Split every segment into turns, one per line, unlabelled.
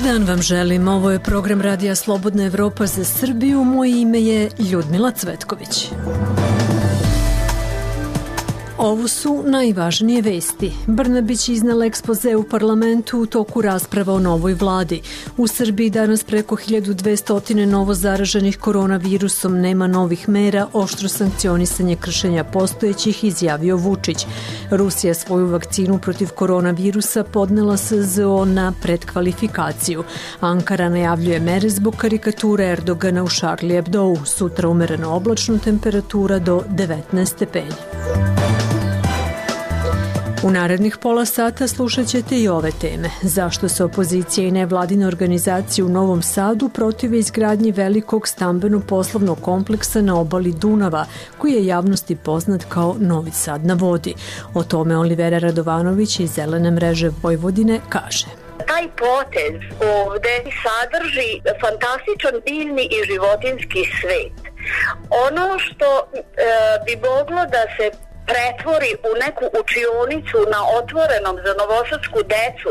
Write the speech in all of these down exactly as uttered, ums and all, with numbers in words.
dan vam želim. Ovo je program Radija Slobodna Evropa za Srbiju. Moje ime je Ljudmila Cvetković. Ovo su najvažnije vesti. Brnabić iznela ekspoze u parlamentu u toku rasprava o novoj vladi. U Srbiji danas preko hiljadu dvesta novo zaraženih koronavirusom, nema novih mera, oštro sankcionisanje kršenja postojećih, izjavio Vučić. Rusija svoju vakcinu protiv koronavirusa podnela S Z O na predkvalifikaciju. Ankara najavljuje mere zbog karikature Erdogana u Charlie Hebdou. Sutra umereno oblačno, temperatura do devetnaest stepeni. U narednih pola sata slušat ćete i ove teme. Zašto se opozicija i nevladine organizacije u Novom Sadu protive izgradnji velikog stambeno-poslovnog kompleksa na obali Dunava, koji je javnosti poznat kao Novi Sad na vodi. O tome Olivera Radovanović iz Zelene mreže Vojvodine kaže.
Taj potez ovde sadrži fantastičan biljni i životinski svet. Ono što e, bi moglo da se pretvori u neku učionicu na otvorenom za novosadsku decu.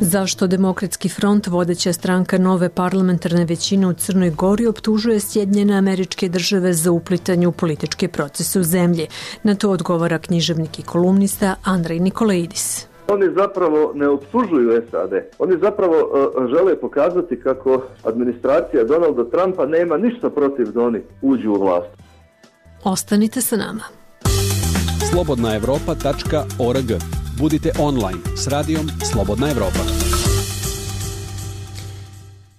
Zašto Demokratski front, vodeća stranka nove parlamentarne većine u Crnoj Gori, optužuje Sjedinjene Američke Države za uplitanje u političke procese u zemlji? Na to odgovara književnik i kolumnista Andrej Nikolaidis.
Oni zapravo ne optužuju S A D. Oni zapravo uh, žele pokazati kako administracija Donalda Trumpa nema ništa protiv da oni uđu u vlast.
Ostanite sa nama.
slobodna evropa tačka org. Budite online s radijom Slobodna Evropa.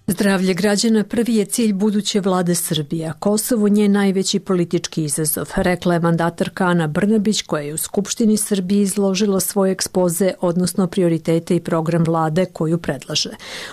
Zdravlje građana prvi je cilj buduće vlade Srbije, a Kosovo nje najveći politički izazov, rekla je mandatarka Ana Brnabić, koja je u Skupštini Srbije izložila svoje ekspoze, odnosno prioritete i program vlade koju predlaže.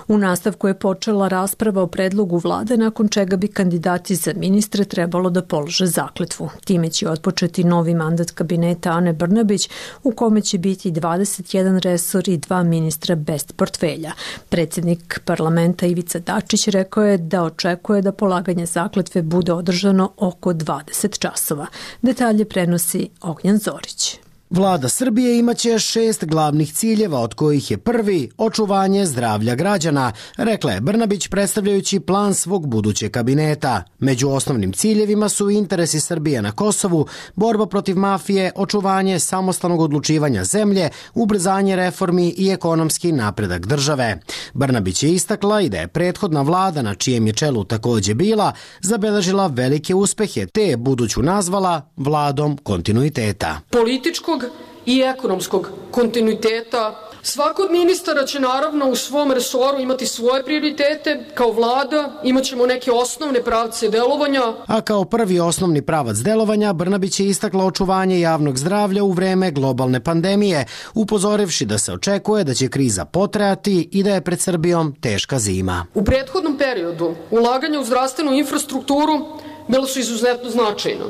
U nastavku je počela rasprava o predlogu vlade, nakon čega bi kandidati za ministre trebalo da polože zakletvu. Time će otpočeti novi mandat kabineta Ane Brnabić, u kome će biti dvadeset jedan resor i dva ministra bez portfelja. Predsjednik parlamenta Ivica Dačić rekao je da očekuje da polaganje zakletve bude održano oko dvadeset časova. Detalje prenosi Ognjan Zorić.
Vlada Srbije imaće šest glavnih ciljeva, od kojih je prvi očuvanje zdravlja građana, rekla je Brnabić predstavljajući plan svog budućeg kabineta. Među osnovnim ciljevima su interesi Srbije na Kosovu, borba protiv mafije, očuvanje samostalnog odlučivanja zemlje, ubrzanje reformi i ekonomski napredak države. Brnabić je istakla i da je prethodna vlada, na čijem je čelu takođe bila, zabeležila velike uspehe, te je buduću nazvala vladom kontinuiteta.
Političkog i ekonomskog kontinuiteta. Svako od ministara će naravno u svom resoru imati svoje prioritete. Kao vlada imat ćemo neke osnovne pravce delovanja.
A kao prvi osnovni pravac delovanja Brnabić je istakla očuvanje javnog zdravlja u vreme globalne pandemije, upozorivši da se očekuje da će kriza potrajati i da je pred Srbijom teška zima.
U prethodnom periodu ulaganja u zdravstvenu infrastrukturu bila su izuzetno značajna.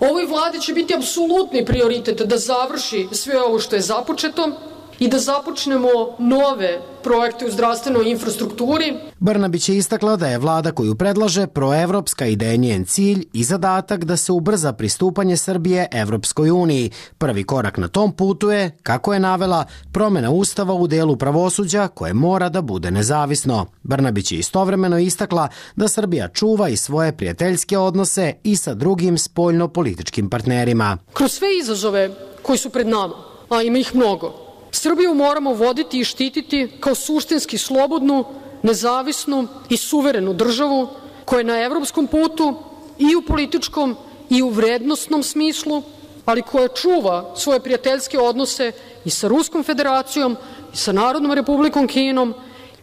Ovoj vladi će biti apsolutni prioritet da završi sve ovo što je započeto i da započnemo nove projekte u zdravstvenoj infrastrukturi.
Brnabić je istakla da je vlada koju predlaže proevropska i da je njen cilj i zadatak da se ubrza pristupanje Srbije Evropskoj uniji. Prvi korak na tom putu je, kako je navela, promjena ustava u delu pravosuđa koje mora da bude nezavisno. Brnabić je istovremeno istakla da Srbija čuva i svoje prijateljske odnose i sa drugim spoljno-političkim partnerima.
Kroz sve izazove koji su pred nama, a ima ih mnogo, Srbiju moramo voditi i štititi kao suštinski slobodnu, nezavisnu i suverenu državu koja je na evropskom putu i u političkom i u vrednosnom smislu, ali koja čuva svoje prijateljske odnose i sa Ruskom federacijom i sa Narodnom republikom Kinom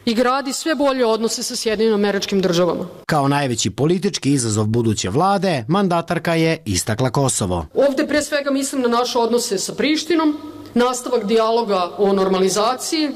i gradi sve bolje odnose sa Sjedinjenim Američkim Državama.
Kao najveći politički izazov buduće vlade, mandatarka je istakla Kosovo.
Ovde pre svega mislim na naše odnose sa Prištinom, nastavak dijaloga o normalizaciji,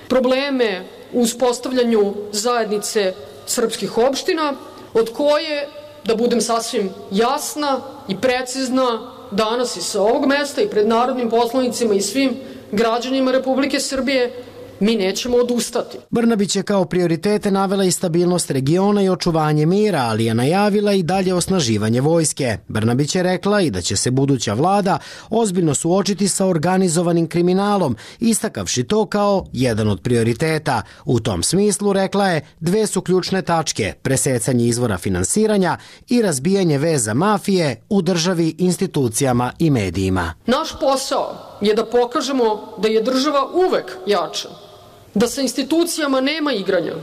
probleme u uspostavljanju zajednice srpskih opština, od koje, da budem sasvim jasna i precizna, danas i sa ovog mesta i pred narodnim poslanicima i svim građanima Republike Srbije, mi nećemo odustati.
Brnabić je kao prioritete navela i stabilnost regiona i očuvanje mira, ali je najavila i dalje osnaživanje vojske. Brnabić je rekla i da će se buduća vlada ozbiljno suočiti sa organizovanim kriminalom, istakavši to kao jedan od prioriteta. U tom smislu, rekla je, dve su ključne tačke: presecanje izvora finansiranja i razbijanje veza mafije u državi, institucijama i medijima.
Naš posao je da pokažemo da je država uvek jača, da sa institucijama nema igranja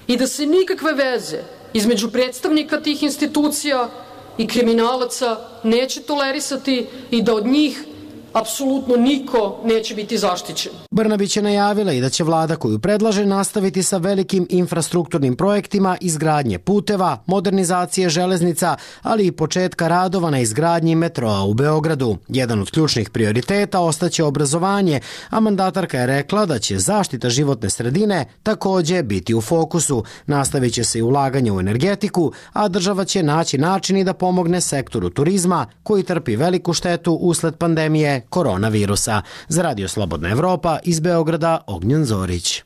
i da se nikakve veze između predstavnika tih institucija i kriminalaca neće tolerisati i da od njih apsolutno niko neće biti zaštićen.
Brnabić je najavila i da će vlada koju predlaže nastaviti sa velikim infrastrukturnim projektima izgradnje puteva, modernizacije železnica, ali i početka radova na izgradnji metroa u Beogradu. Jedan od ključnih prioriteta ostaće obrazovanje, a mandatarka je rekla da će zaštita životne sredine takođe biti u fokusu. Nastavit će se i ulaganje u energetiku, a država će naći način i da pomogne sektoru turizma koji trpi veliku štetu usled pandemije koronavirusa. Za Radio Slobodna Evropa iz Beograda, Ognjen Zorić.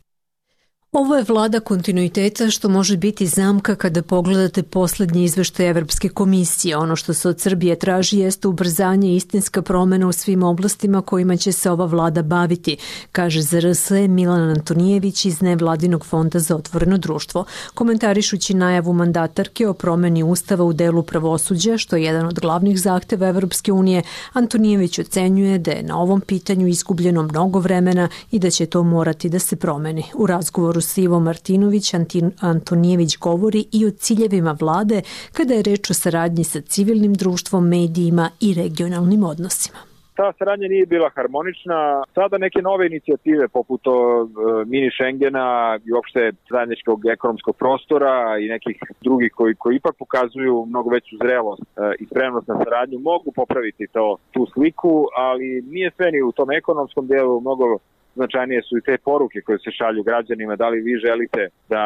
Ovo je vlada kontinuiteta što može biti zamka kada pogledate poslednji izveštaj Evropske komisije. Ono što se od Srbije traži jeste ubrzanje i istinska promena u svim oblastima kojima će se ova vlada baviti, kaže Z R S Milan Antonijević iz Nevladinog fonda za otvoreno društvo. Komentarišući najavu mandatarke o promeni ustava u delu pravosuđa, što je jedan od glavnih zahteva Evropske unije, Antonijević ocenjuje da je na ovom pitanju izgubljeno mnogo vremena i da će to morati da se promeni. U razgovoru s Ivo Martinović, Antonijević govori i o ciljevima vlade kada je reč o saradnji sa civilnim društvom, medijima i regionalnim odnosima.
Ta saradnja nije bila harmonična. Sada neke nove inicijative poput o, mini Schengena i uopšte zajedničkog ekonomskog prostora i nekih drugih koji, koji ipak pokazuju mnogo veću zrelost i spremnost na saradnju mogu popraviti to, tu sliku, ali nije sve ni u tom ekonomskom delu. Mnogo značajnije su i te poruke koje se šalju građanima, da li vi želite da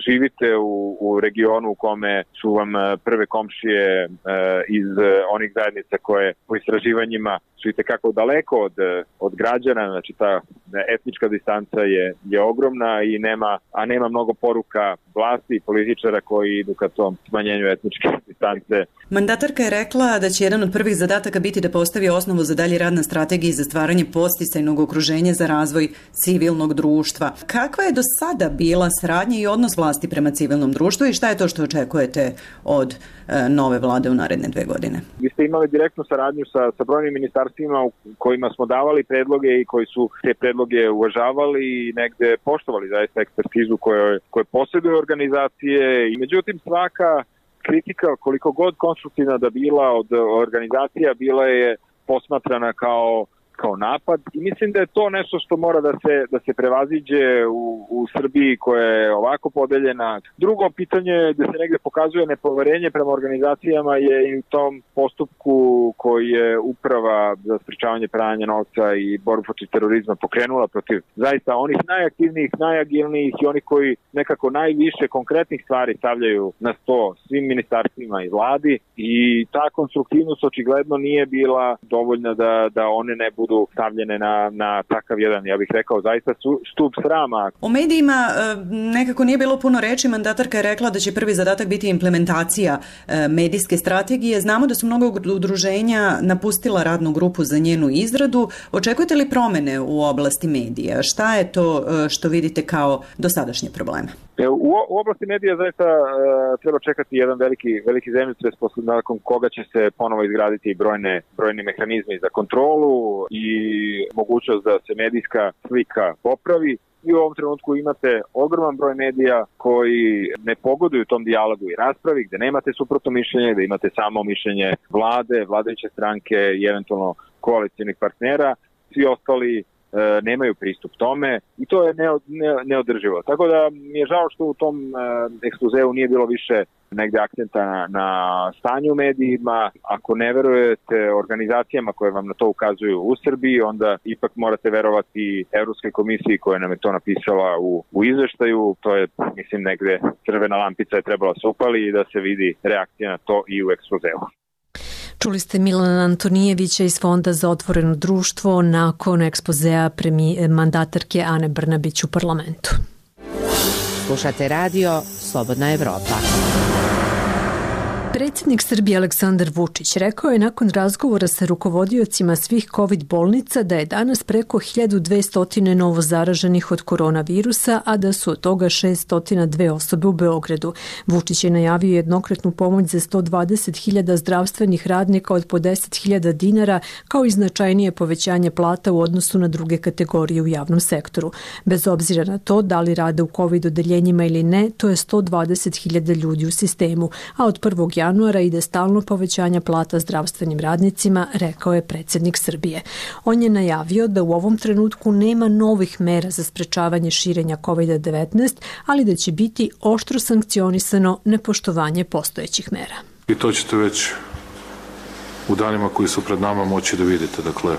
živite u, u regionu u kome su vam prve komšije e, iz onih zajednica koje po istraživanjima su i tekako daleko od, od građana, znači ta etnička distanca je, je ogromna i nema, a nema mnogo poruka vlasti i političara koji idu ka tom smanjenju etničke distance.
Mandatarka je rekla da će jedan od prvih zadataka biti da postavi osnovu za dalji rad na strategiji za stvaranje podsticajnog okruženja za razvoj civilnog društva. Kakva je do sada bila saradnja i odnos vlasti prema civilnom društvu i šta je to što očekujete od e, nove vlade u naredne dve godine?
Vi ste imali direktnu saradnju sa, sa brojnim ministarstvima u kojima smo davali predloge i koji su te predloge uvažavali i negde poštovali zaista ekspertizu koje, koje posjeduju organizacije i međutim svaka kritika koliko god konstruktivna da bila od organizacija bila je posmatrana kao kao napad i mislim da je to nešto što mora da se da se prevaziđe u, u Srbiji koja je ovako podeljena. Drugo pitanje gde se negde pokazuje nepoverenje prema organizacijama je i u tom postupku koji je Uprava za sprečavanje pranja novca i borbu protiv terorizma pokrenula protiv zaista onih najaktivnijih, najagilnijih i onih koji nekako najviše konkretnih stvari stavljaju na sto svim ministarstvima i vladi i ta konstruktivnost očigledno nije bila dovoljna da, da one ne budu stavljene na, na takav jedan, ja bih rekao, zaista stup srama.
O medijima nekako nije bilo puno reči. Mandatarka je rekla da će prvi zadatak biti implementacija medijske strategije. Znamo da su mnogo udruženja napustila radnu grupu za njenu izradu. Očekujete li promene u oblasti medija? Šta je to što vidite kao dosadašnje probleme?
U, u oblasti medija zaista uh, treba čekati jedan veliki, veliki zemljotres posle nakon koga će se ponovo izgraditi brojne, brojni mehanizmi za kontrolu i mogućnost da se medijska slika popravi. I u ovom trenutku imate ogroman broj medija koji ne pogoduju tom dijalogu i raspravi, gde nemate suprotno mišljenje, gde imate samo mišljenje vlade, vladajuće stranke i eventualno koalicijnih partnera. Svi ostali nemaju pristup tome i to je neodrživo. Tako da mi je žao što u tom ekspozeu nije bilo više negde akcenta na, na stanju u medijima. Ako ne verujete organizacijama koje vam na to ukazuju u Srbiji, onda ipak morate verovati Evropskoj komisiji koja nam je to napisala u, u izveštaju. To je, mislim, negde crvena lampica je trebala se upali i da se vidi reakcija na to i u ekspozeu.
Čuli ste Milana Antonijevića iz Fonda za otvoreno društvo nakon ekspozea premije mandatarke Ane Brnabić u parlamentu.
Slušate radio Slobodna Evropa.
Predsjednik Srbije Aleksandar Vučić rekao je nakon razgovora sa rukovodiocima svih COVID bolnica da je danas preko hiljadu dvesta novo zaraženih od koronavirusa, a da su od toga šessto dve osobe u Beogradu. Vučić je najavio jednokratnu pomoć za sto dvadeset hiljada zdravstvenih radnika od po deset hiljada dinara, kao i značajnije povećanje plata u odnosu na druge kategorije u javnom sektoru. Bez obzira na to da li rade u COVID odeljenjima ili ne, to je sto dvadeset hiljada ljudi u sistemu, a od prvog januara ide stalno povećanje plata zdravstvenim radnicima, rekao je predsjednik Srbije. On je najavio da u ovom trenutku nema novih mera za sprečavanje širenja kovid devetnaest, ali da će biti oštro sankcionisano nepoštovanje postojećih mera.
I to ćete već u danima koji su pred nama moći da vidite. Dakle,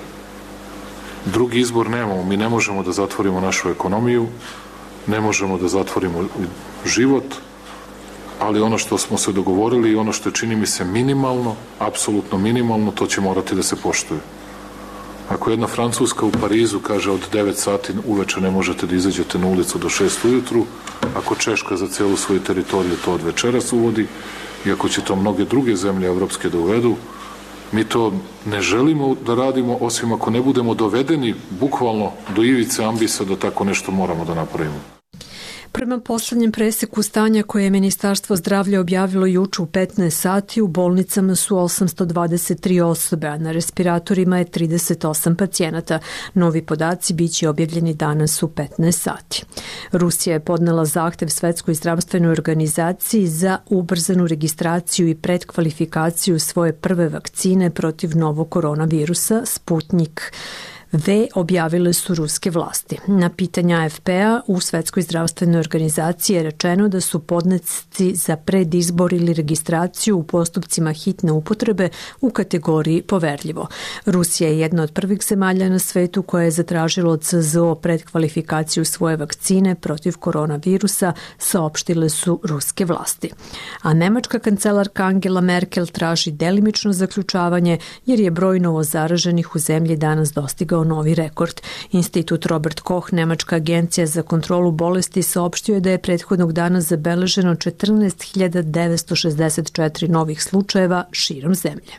drugi izbor nemamo. Mi ne možemo da zatvorimo našu ekonomiju, ne možemo da zatvorimo život, ali ono što smo se dogovorili i ono što je, čini mi se, minimalno, apsolutno minimalno, to će morati da se poštuje. Ako jedna Francuska u Parizu kaže od devet sati uveče ne možete da izađete na ulicu do šest ujutru, ako Češka za celu svoju teritoriju to od večeras uvodi i ako će to mnoge druge zemlje evropske da uvedu, mi to ne želimo da radimo, osim ako ne budemo dovedeni bukvalno do ivice ambisa da tako nešto moramo da napravimo.
Prema poslednjem preseku stanja koje je Ministarstvo zdravlja objavilo juče u petnaest sati, u bolnicama su osamsto dvadeset tri osobe, a na respiratorima je trideset osam pacijenata. Novi podaci biće objavljeni danas u petnaest sati. Rusija je podnela zahtev Svetskoj zdravstvenoj organizaciji za ubrzanu registraciju i predkvalifikaciju svoje prve vakcine protiv novog koronavirusa, Sputnik V, objavile su ruske vlasti. Na pitanja A F P-a u Svetskoj zdravstvenoj organizaciji je rečeno da su podnesci za predizbor ili registraciju u postupcima hitne upotrebe u kategoriji poverljivo. Rusija je jedna od prvih zemalja na svetu koja je zatražila od C Z O predkvalifikaciju svoje vakcine protiv koronavirusa, saopštile su ruske vlasti. A nemačka kancelarka Angela Merkel traži delimično zaključavanje jer je broj novozaraženih u zemlji danas dostigao novi rekord. Institut Robert Koch, nemačka agencija za kontrolu bolesti, saopštio je da je prethodnog dana zabeleženo četrnaest hiljada devetsto šezdeset četiri novih slučajeva širom zemlje.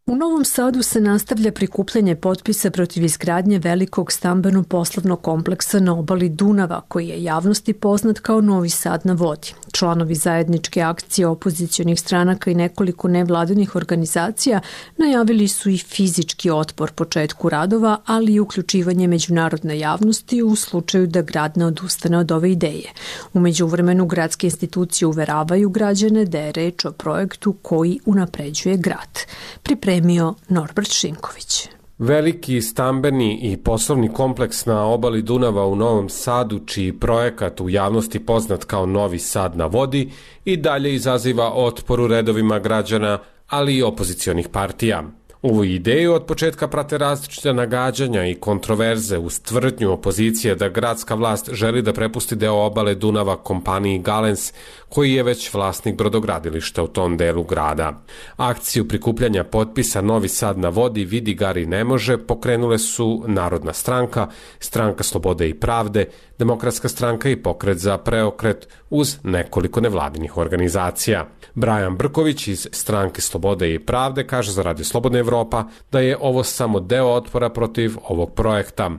U Novom Sadu se nastavlja prikupljanje potpisa protiv izgradnje velikog stambeno-poslovnog kompleksa na obali Dunava, koji je javnosti poznat kao Novi Sad na vodi. Članovi zajedničke akcije opozicionih stranaka i nekoliko nevladinih organizacija najavili su i fizički otpor početku radova, ali i uključivanje međunarodne javnosti u slučaju da grad ne odustane od ove ideje. U međuvremenu gradske institucije uveravaju građane da je reč o projektu koji unapređuje grad. Pripremio Norbert Šinković.
Veliki stambeni i poslovni kompleks na obali Dunava u Novom Sadu, čiji projekat u javnosti poznat kao Novi Sad na vodi, i dalje izaziva otpor u redovima građana, ali i opozicionih partija. Ovu ideju od početka prate različite nagađanja i kontroverze uz tvrdnju opozicije da gradska vlast želi da prepusti deo obale Dunava kompaniji Galens, koji je već vlasnik brodogradilišta u tom delu grada. Akciju prikupljanja potpisa Novi Sad na vodi vidi Gari ne može pokrenule su Narodna stranka, Stranka slobode i pravde, Demokratska stranka i Pokret za preokret uz nekoliko nevladinih organizacija. Brajan Brković iz Stranke slobode i pravde kaže za Radio Slobodna Evropa da je ovo samo deo otpora protiv ovog projekta.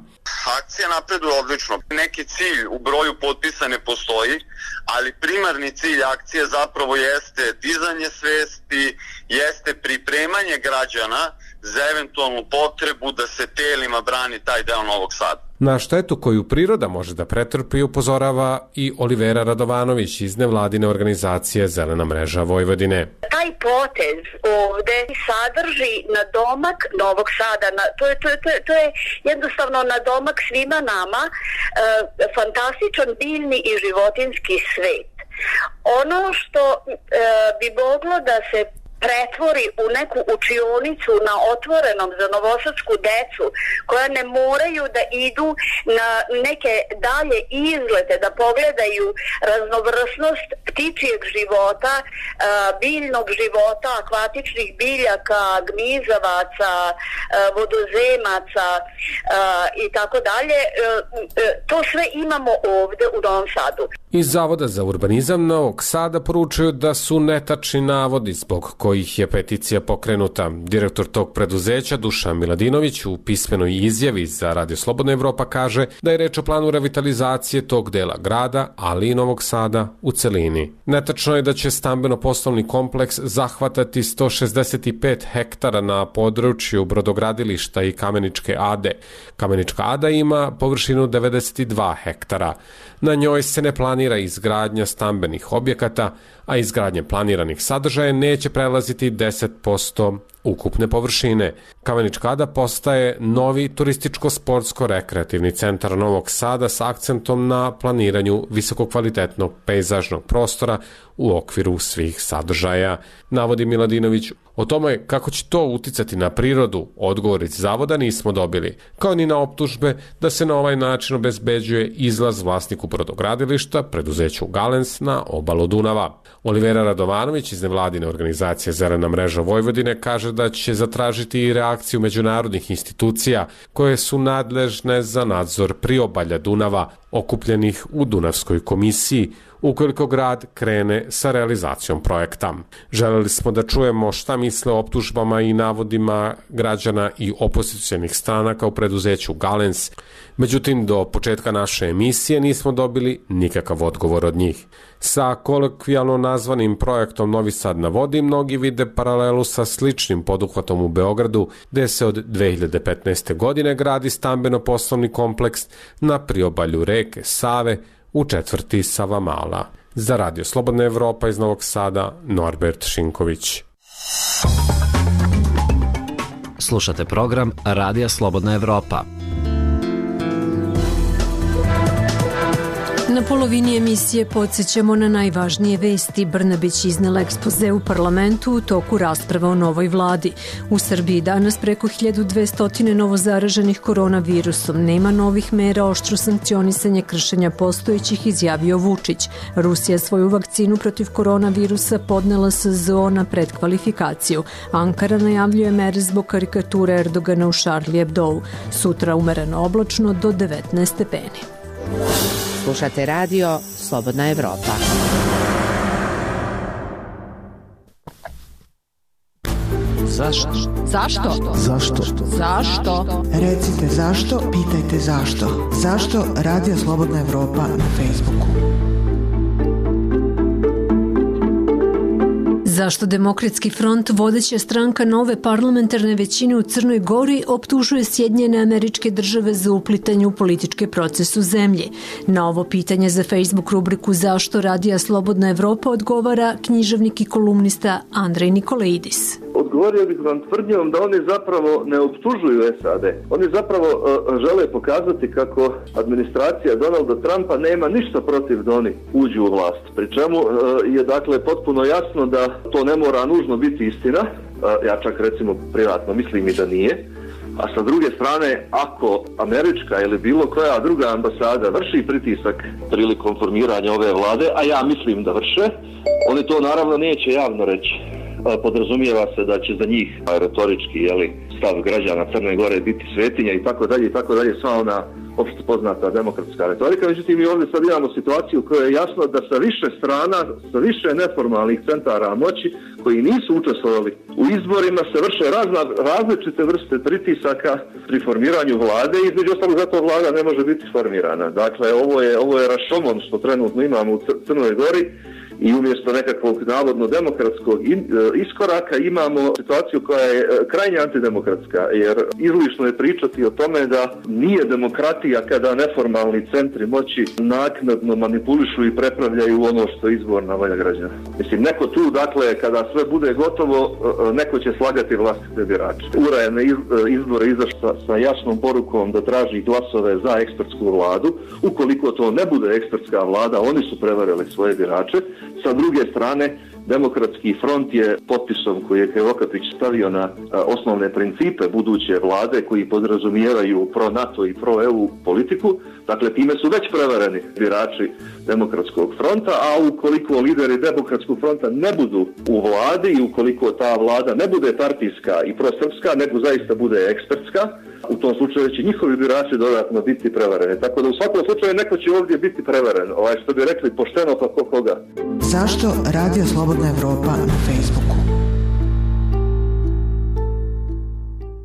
Akcija napreduje odlično. Neki cilj u broju potpisa ne postoji, ali primarni cilj akcije zapravo jeste dizanje svesti, jeste pripremanje građana za eventualnu potrebu da se telima brani taj deo Novog Sada.
Na štetu koju priroda može da pretrpi upozorava i Olivera Radovanović iz nevladine organizacije Zelena mreža Vojvodine.
Taj potez ovde sadrži nadomak Novog Sada. Na, to, je, to, je, to, je, to je jednostavno nadomak svima nama, e, fantastičan biljni i životinski svet. Ono što e, bi moglo da se pretvori u neku učionicu na otvorenom za novosadsku decu, koja ne moraju da idu na neke dalje izlete, da pogledaju raznovrsnost ptičijeg života, biljnog života, akvatičnih biljaka, gmizavaca, vodozemaca i tako dalje. To sve imamo ovde u Novom Sadu.
Iz Zavoda za urbanizam Novog Sada poručuju da su netačni navodi zbog kojih je peticija pokrenuta. Direktor tog preduzeća Dušan Miladinović u pismenoj izjavi za Radio Slobodna Evropa kaže da je reč o planu revitalizacije tog dela grada, ali i Novog Sada u celini. Netačno je da će stambeno-poslovni kompleks zahvatati sto šezdeset pet hektara na području brodogradilišta i Kameničke Ade. Kamenička Ada ima površinu devedeset dva hektara. Na njoj se ne planira izgradnja stambenih objekata, a izgradnja planiranih sadržaja neće prelaziti deset posto ukupne površine. Kamenička Ada postaje novi turističko-sportsko-rekreativni centar Novog Sada s akcentom na planiranju visokokvalitetnog pejzažnog prostora u okviru svih sadržaja, navodi Miladinović. O tome kako će to uticati na prirodu, odgovor iz Zavoda nismo dobili, kao ni na optužbe da se na ovaj način obezbeđuje izlaz vlasniku brodogradilišta, preduzeću Galens, na obalu Dunava. Olivera Radovanović iz nevladine organizacije Zelena mreža Vojvodine kaže da će zatražiti i reakciju međunarodnih institucija koje su nadležne za nadzor priobalja Dunava, okupljenih u Dunavskoj komisiji, ukoliko grad krene sa realizacijom projekta. Želeli smo da čujemo šta misle o optužbama i navodima građana i opozicijalnih stranaka u preduzeću Galens. Međutim, do početka naše emisije nismo dobili nikakav odgovor od njih. Sa kolokvijalno nazvanim projektom Novi Sad na vodi mnogi vide paralelu sa sličnim poduhvatom u Beogradu, gde se od dve hiljade petnaeste. godine gradi stambeno-poslovni kompleks na priobalju reke Save u četvrti Savamala. Za Radio Slobodna Evropa iz Novog Sada, Norbert Šinković.
Slušate program Radija Slobodna Evropa.
Na polovini emisije podsjećamo na najvažnije vesti. Brnabić iznela ekspoze u parlamentu u toku rasprava o novoj vladi. U Srbiji danas preko hiljadu dvesta novozaraženih koronavirusom. Nema novih mera, oštro sankcionisanje kršenja postojećih, izjavio Vučić. Rusija svoju vakcinu protiv koronavirusa podnela S Z O na predkvalifikaciju. Ankara najavljuje mere zbog karikature Erdogana u Charlie Hebdou. Sutra umereno oblačno do devetnaest stepeni.
Slušate radio Slobodna Evropa.
Zašto?
Zašto?
Zašto?
Zašto?
Recite zašto, pitajte zašto. Zašto Radio Slobodna Evropa na Facebooku?
Zašto Demokratski front, vodeća stranka nove parlamentarne većine u Crnoj Gori, optužuje Sjedinjene Američke Države za uplitanje u politički proces u zemlji? Na ovo pitanje za Facebook rubriku Zašto Radija Slobodna Evropa odgovara književnik i kolumnista Andrej Nikolaidis.
Odgovorio bih vam tvrdnjom da oni zapravo ne optužuju S A D. Oni zapravo uh, žele pokazati kako administracija Donalda Trumpa nema ništa protiv da oni uđu u vlast. Pri čemu uh, je dakle potpuno jasno da to ne mora nužno biti istina. Uh, ja čak recimo privatno mislim i da nije. A sa druge strane, ako američka ili bilo koja druga ambasada vrši pritisak prilikom formiranja ove vlade, a ja mislim da vrše, oni to naravno neće javno reći. Podrazumijeva se da će za njih retorički jeli, stav građana Crne Gore biti svetinja i tako dalje i tako dalje, sva ona opšte poznata demokratska retorika. Međutim, mi ovdje sad imamo situaciju u kojoj je jasno da sa više strana, sa više neformalnih centara moći koji nisu učestvovali u izborima se vrše razna, različite vrste pritisaka pri formiranju vlade i između ostalog zato vlada ne može biti formirana. Dakle, ovo je, ovo je rašomon što trenutno imamo u Crnoj Gori. I umjesto nekakvog navodno demokratskog iskoraka imamo situaciju koja je krajnje antidemokratska, jer izlišno je pričati o tome da nije demokratija kada neformalni centri moći naknadno manipulišu i prepravljaju ono što je izborna volja građana. Mislim, neko tu, dakle, kada sve bude gotovo, neko će slagati vlastite birače. U R A je na izbore izašla sa jasnom porukom da traži glasove za ekspertsku vladu. Ukoliko to ne bude ekspertska vlada, oni su prevarili svoje birače. Sa druge strane, Demokratski front je potpisom koji je Krivokapić stavio na osnovne principe buduće vlade koji podrazumijevaju pro-NATO i pro-E U politiku, dakle time su već prevareni birači Demokratskog fronta, a ukoliko lideri Demokratskog fronta ne budu u vladi i ukoliko ta vlada ne bude partijska i prosrpska, nego zaista bude ekspertska, u tom slučaju će njihovi birači dodatno biti prevareni. Tako da u svakom slučaju neko će ovdje biti prevaren. Ovaj, što bi rekli, pošteno pa ko koga.
Zašto Radio Slobodna Evropa na Facebooku?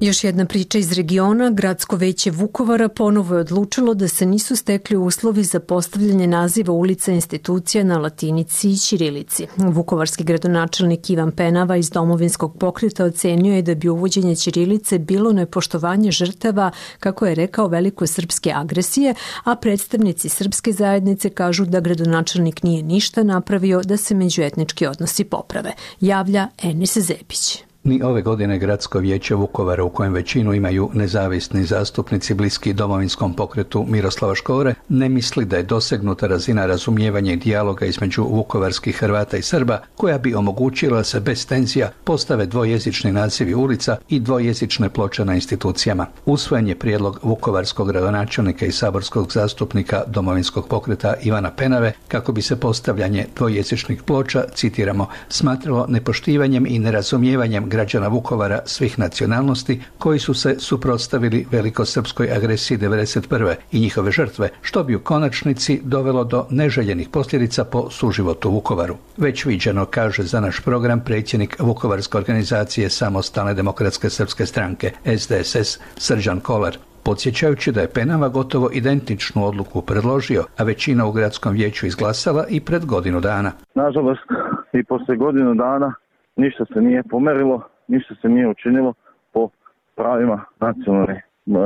Još jedna priča iz regiona. Gradsko veće Vukovara ponovo je odlučilo da se nisu stekli uslovi za postavljanje naziva ulica institucija na latinici i ćirilici. Vukovarski gradonačelnik Ivan Penava iz Domovinskog pokreta ocenio je da bi uvođenje ćirilice bilo nepoštovanje žrtava, kako je rekao, velikosrpske agresije, a predstavnici srpske zajednice kažu da gradonačelnik nije ništa napravio da se međuetnički odnosi poprave. Javlja Enis Zepić.
Ni ove godine Gradsko vijeće Vukovara, u kojem većinu imaju nezavisni zastupnici bliski Domovinskom pokretu Miroslava Škore, ne misli da je dosegnuta razina razumijevanja i dijaloga između vukovarskih Hrvata i Srba, koja bi omogućila se bez tenzija postave dvojezični nazivi ulica i dvojezične ploče na institucijama. Usvojen je prijedlog vukovarskog gradonačelnika i saborskog zastupnika Domovinskog pokreta Ivana Penave kako bi se postavljanje dvojezičnih ploča, citiramo, smatralo nepoštivanjem i nerazumijevanjem građana Vukovara svih nacionalnosti koji su se suprotstavili velikosrpskoj agresiji devedeset prve i njihove žrtve, što bi u konačnici dovelo do neželjenih posljedica po suživotu u Vukovaru. Već viđeno, kaže za naš program predsjednik Vukovarske organizacije Samostalne demokratske srpske stranke S D S S Srđan Kolar, podsjećajući da je Penava gotovo identičnu odluku predložio, a većina u gradskom vijeću izglasala i pred godinu dana.
Nažalost, i poslije godinu dana ništa se nije pomerilo, ništa se nije učinilo po pravima nacionalne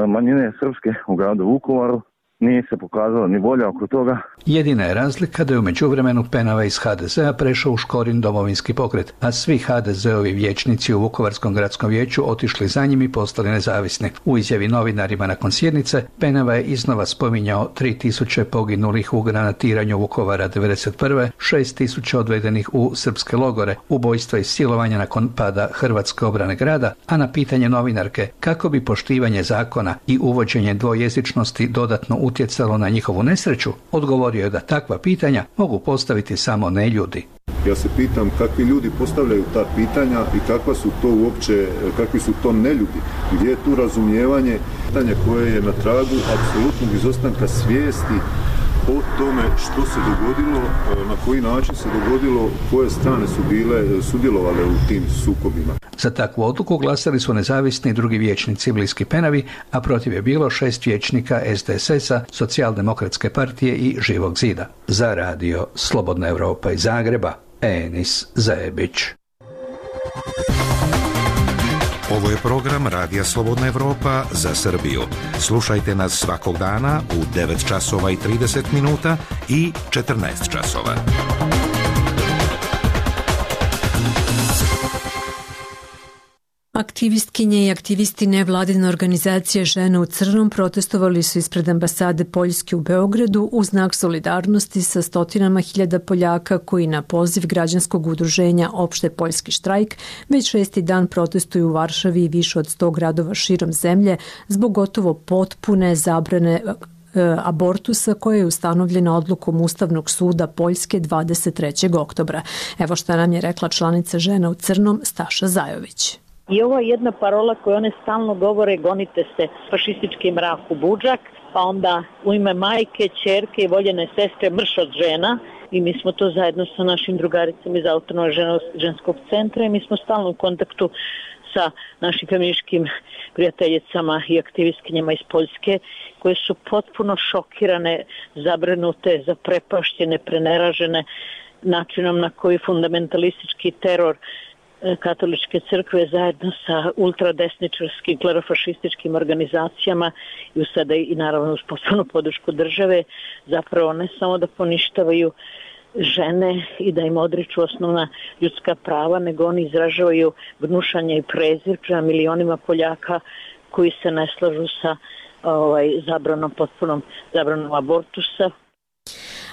manjine srpske u gradu Vukovaru. Nije se pokazalo ni volja oko toga.
Jedina je razlika da je u međuvremenu Penava iz H D Z-a prešao u Škorin Domovinski pokret, a svi H D Z-ovi vijećnici u Vukovarskom gradskom vijeću otišli za njim i postali nezavisni. U izjavi novinarima nakon sjednice, Penava je iznova spominjao tri tisuće poginulih u granatiranju Vukovara devedeset prve, šest tisuća odvedenih u srpske logore, ubojstva i silovanja nakon pada Hrvatske obrane grada, a na pitanje novinarke kako bi poštivanje zakona i uvođenje dvojezičnosti dodatno utjecalo na njihovu nesreću, odgovorio je da takva pitanja mogu postaviti samo neljudi.
Ja se pitam kakvi ljudi postavljaju ta pitanja i kakva su to uopće, kakvi su to neljudi, gdje je tu razumijevanje, pitanje koje je na tragu apsolutnog izostanka svijesti o tome što se dogodilo, na koji način se dogodilo, koje strane su bile sudjelovale u tim sukobima.
Za takvu odluku glasali su nezavisni i drugi vijećnici bliski Penavi, a protiv je bilo šest vijećnika S D S S-a, Socijaldemokratske partije i Živog zida. Za radio Slobodna Evropa iz Zagreba, Enis Zebić.
Ovo je program Radija Slobodna Evropa za Srbiju. Slušajte nas svakog dana u devet časova i trideset minuta i četrnaest časova.
Aktivistkinje i aktivisti nevladine organizacije Žene u crnom protestovali su ispred ambasade Poljske u Beogradu u znak solidarnosti sa stotinama hiljada Poljaka koji na poziv građanskog udruženja Opšte poljski štrajk već šesti dan protestuju u Varšavi i više od sto gradova širom zemlje zbog gotovo potpune zabrane abortusa koja je ustanovljena odlukom Ustavnog suda Poljske dvadeset trećeg oktobra. Evo šta nam je rekla članica Žena u crnom Staša Zajović.
I ovo je jedna parola koju one stalno govore, gonite se fašistički mrak u budžak, pa onda u ime majke, ćerke i voljene sestre mrš od žena. I mi smo to zajedno sa našim drugaricama iz Autonomnog ženskog centra i mi smo stalno u kontaktu sa našim feminističkim prijateljicama i aktivistkinjama iz Poljske koje su potpuno šokirane, zabrinute, zaprepašćene, preneražene načinom na koji fundamentalistički teror katoličke crkve zajedno sa ultradesničarskim klerofašističkim organizacijama i sada i naravno uz potpunu podršku države zapravo ne samo da poništavaju žene i da im odriču osnovna ljudska prava, nego oni izražavaju gnušanje i prezir prema milionima Poljaka koji se ne slažu sa ovaj, zabranom, potpunom zabranom abortusa.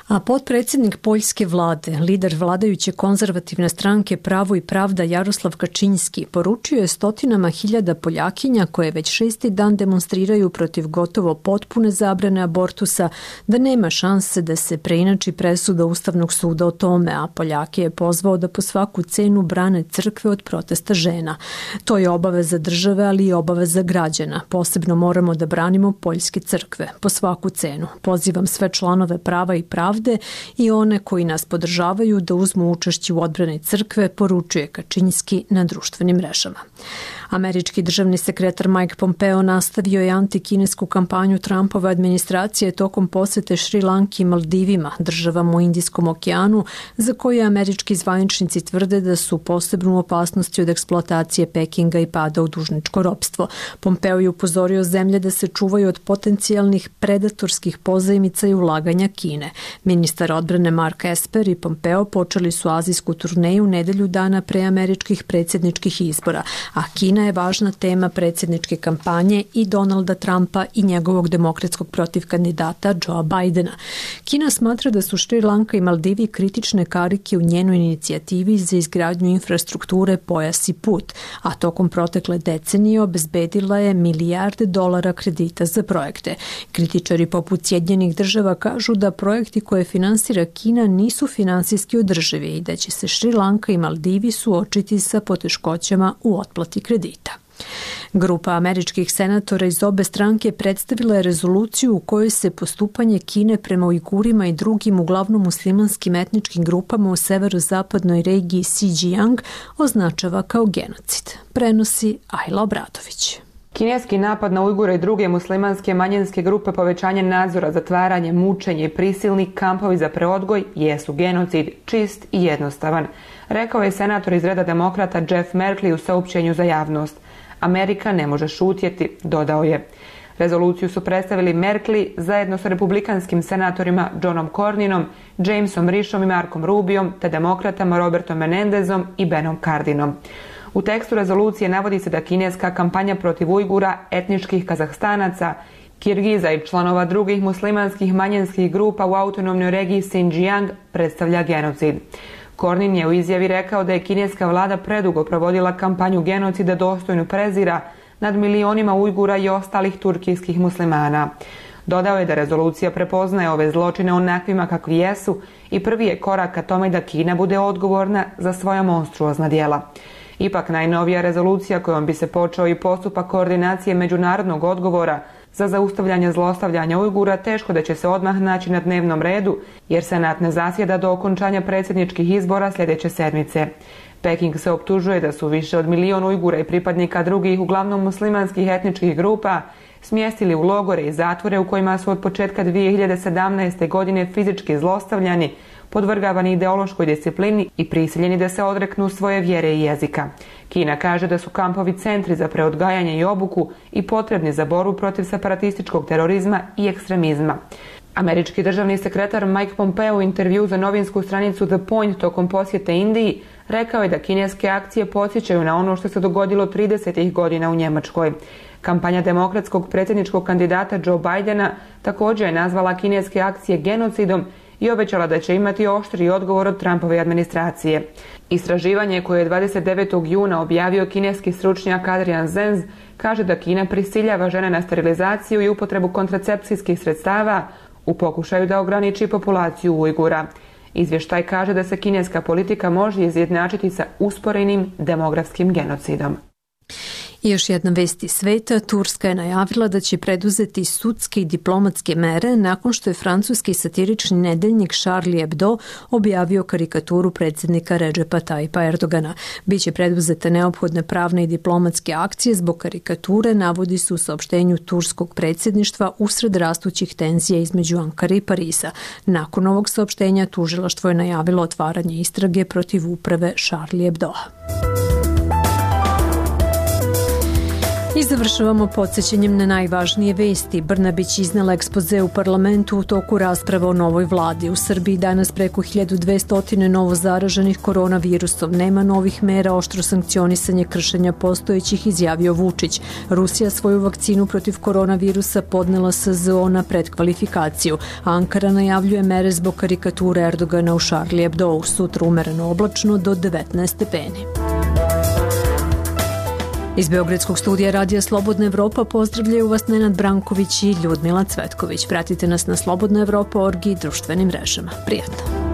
A potpredsjednik poljske vlade, lider vladajuće konzervativne stranke Pravo i pravda Jaroslav Kačinski, poručio je stotinama hiljada Poljakinja koje već šesti dan demonstriraju protiv gotovo potpune zabrane abortusa da nema šanse da se preinači presuda Ustavnog suda o tome, a Poljake je pozvao da po svaku cenu brane crkve od protesta žena. To je obaveza države, ali i obaveza građana. Posebno moramo da branimo poljske crkve, po svaku cenu. Pozivam sve članove Prava i pravde i one koji nas podržavaju da uzmu učešće u odbrani crkve, poručuje Kačinski na društvenim mrežama. Američki državni sekretar Mike Pompeo nastavio je antikinesku kampanju Trumpove administracije tokom posete Šri Lanki i Maldivima, državama u Indijskom okeanu, za koje američki zvaničnici tvrde da su posebnu opasnosti od eksploatacije Pekinga i pada u dužničko ropstvo. Pompeo je upozorio zemlje da se čuvaju od potencijalnih predatorskih pozajmica i ulaganja Kine. Ministar odbrane Mark Esper i Pompeo počeli su azijsku turneju nedelju dana pre američkih predsjedničkih izbora, a Kina je važna tema predsjedničke kampanje i Donalda Trumpa i njegovog demokratskog protivkandidata Joea Bidena. Kina smatra da su Šri Lanka i Maldivi kritične karike u njenoj inicijativi za izgradnju infrastrukture Pojas i put, a tokom protekle decenije obezbedila je milijarde dolara kredita za projekte. Kritičari poput Sjedinjenih država kažu da projekti koje finansira Kina nisu finansijski održivi i da će se Šri Lanka i Maldivi suočiti sa poteškoćama u otplati kredita. Grupa američkih senatora iz obe stranke predstavila je rezoluciju u kojoj se postupanje Kine prema Ujgurima i drugim uglavnom muslimanskim etničkim grupama u severozapadnoj regiji Xinjiang označava kao genocid. Prenosi Ajla Obradović.
Kineski napad na Ujgure i druge muslimanske manjinske grupe, povećanje nadzora, zatvaranje, mučenje i prisilni kampovi za preodgoj jesu genocid, čist i jednostavan, rekao je senator iz reda demokrata Jeff Merkley u saopštenju za javnost. Amerika ne može šutjeti, dodao je. Rezoluciju su predstavili Merkley zajedno sa republikanskim senatorima Johnom Cornynom, Jamesom Rishom i Markom Rubiom, te demokratama Robertom Menendezom i Benom Cardinom. U tekstu rezolucije navodi se da kineska kampanja protiv Ujgura, etničkih Kazahstanaca, Kirgiza i članova drugih muslimanskih manjinskih grupa u autonomnoj regiji Xinjiang predstavlja genocid. Cornyn je u izjavi rekao da je kineska vlada predugo provodila kampanju genocida dostojnu prezira nad milionima Ujgura i ostalih turkijskih muslimana. Dodao je da rezolucija prepoznaje ove zločine onakvima kakvi jesu i prvi je korak ka tome da Kina bude odgovorna za svoja monstruozna djela. Ipak najnovija rezolucija kojom bi se počeo i postupak koordinacije međunarodnog odgovora za zaustavljanje zlostavljanja Ujgura teško da će se odmah naći na dnevnom redu, jer Senat ne zasjeda do okončanja predsjedničkih izbora sljedeće sedmice. Peking se optužuje da su više od milion Ujgura i pripadnika drugih, uglavnom muslimanskih etničkih grupa, smjestili u logore i zatvore u kojima su od početka dvije hiljade sedamnaeste. godine fizički zlostavljani, podvrgavani ideološkoj disciplini i prisiljeni da se odreknu svoje vjere i jezika. Kina kaže da su kampovi centri za preodgajanje i obuku i potrebni za borbu protiv separatističkog terorizma i ekstremizma. Američki državni sekretar Mike Pompeo u intervju za novinsku stranicu The Point tokom posjete Indiji rekao je da kineske akcije podsjećaju na ono što se dogodilo tridesetih godina u Njemačkoj. Kampanja demokratskog predsjedničkog kandidata Joe Bidena također je nazvala kineske akcije genocidom i obećala da će imati oštri odgovor od Trumpove administracije. Istraživanje koje je dvadeset devetog juna objavio kineski stručnjak Adrian Zenz kaže da Kina prisiljava žene na sterilizaciju i upotrebu kontracepcijskih sredstava u pokušaju da ograniči populaciju Ujgura. Izvještaj kaže da se kineska politika može izjednačiti sa usporenim demografskim genocidom.
I još jedna vest iz sveta, Turska je najavila da će preduzeti sudske i diplomatske mere nakon što je francuski satirični nedeljnik Charlie Hebdo objavio karikaturu predsjednika Redžepa Tayyipa Erdogana. Biće preduzete neophodne pravne i diplomatske akcije zbog karikature, navodi se u saopštenju turskog predsjedništva usred rastućih tenzija između Ankare i Pariza. Nakon ovog saopštenja tužilaštvo je najavilo otvaranje istrage protiv uprave Charlie Hebdoa. I završavamo podsjećanjem na najvažnije vesti. Brnabić iznela ekspoze u parlamentu u toku rasprava o novoj vladi. U Srbiji danas preko hiljadu dvesta novo zaraženih koronavirusom. Nema novih mera, oštro sankcionisanje kršenja postojećih, izjavio Vučić. Rusija svoju vakcinu protiv koronavirusa podnela S Z O na predkvalifikaciju. Ankara najavljuje mere zbog karikature Erdogana u Charlie Hebdo. Sutra umereno oblačno do devetnaest stepeni. Iz Beogradskog studija Radija Slobodna Evropa pozdravljaju vas Nenad Branković i Ljudmila Cvetković. Pratite nas na slobodna evropa org i društvenim mrežama. Prijatno!